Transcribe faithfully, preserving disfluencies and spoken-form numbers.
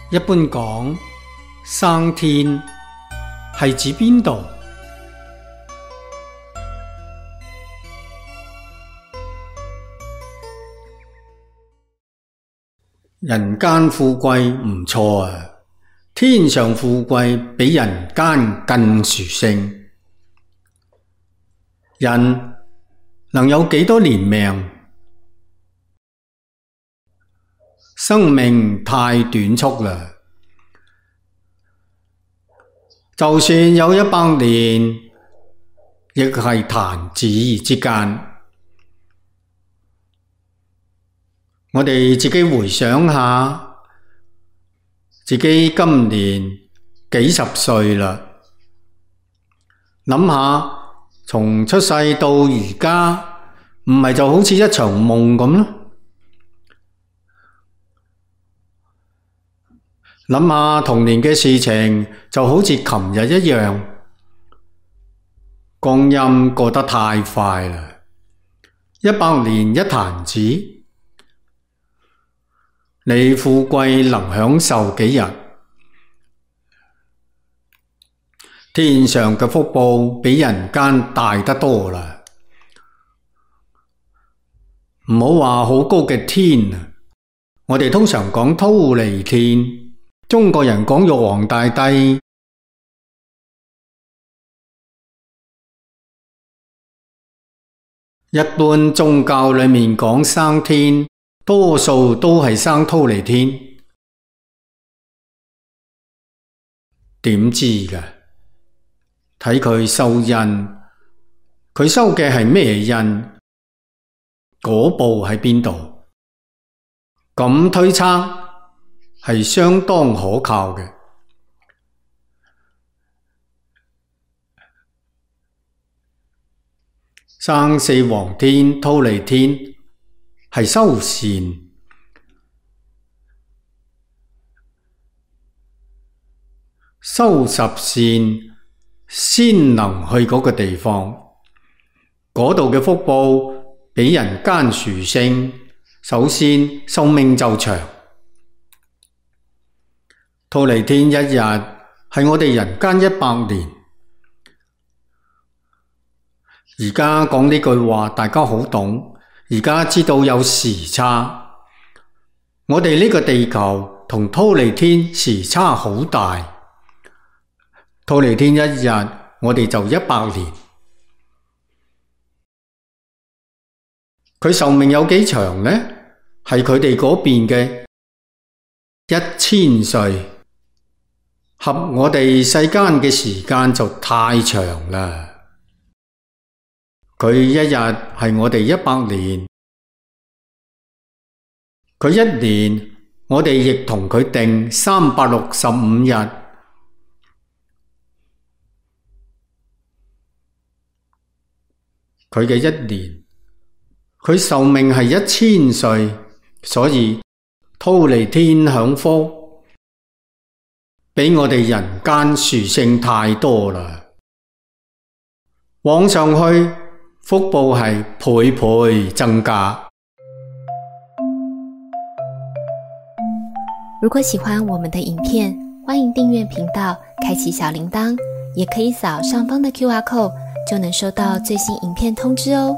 一般講生天係指邊度？人間富貴唔錯啊，天上富貴比人間更殊勝。人能有幾多年命？生命太短促啦，就算有一百年，亦係彈指之間。我哋自己回想下，自己今年幾十歲啦，諗下從出世到而家，唔係就好似一場夢咁咯。諗下童年嘅事情，就好似琴日一樣，光陰過得太快啦，一百年一彈指，你富貴能享受幾日？天上嘅福報比人間大得多啦，唔好話好高嘅天啊，我哋通常講忉利天。中國人講玉皇大帝，一般宗教裏面講生天，多數都係生忉利天。點知㗎？睇佢收印，佢收嘅係咩印？嗰部喺邊度？咁推測係相當可靠嘅。生四皇天、忉利天係修善，修十善先能去嗰個地方，嗰度嘅福報比人間殊勝。首先壽命就長。忉利天一日係我哋人間一百年。而家講呢句話大家好懂，而家知道有時差。我哋呢個地球同忉利天時差好大，忉利天一日我哋就一百年。佢壽命有幾長呢？係佢哋嗰邊嘅一千歲。合我哋世間嘅時間就太長啦。佢一日係我哋一百年，佢一年我哋亦同佢定三百六十五日。佢嘅一年，佢壽命係一千歲，所以忉利天享福比我哋人間殊勝太多啦。往上去，福報係倍倍增加。如果喜歡我們的影片，歡迎訂閱頻道，開啟小鈴鐺，也可以掃上方的 Q R code，就能收到最新影片通知哦。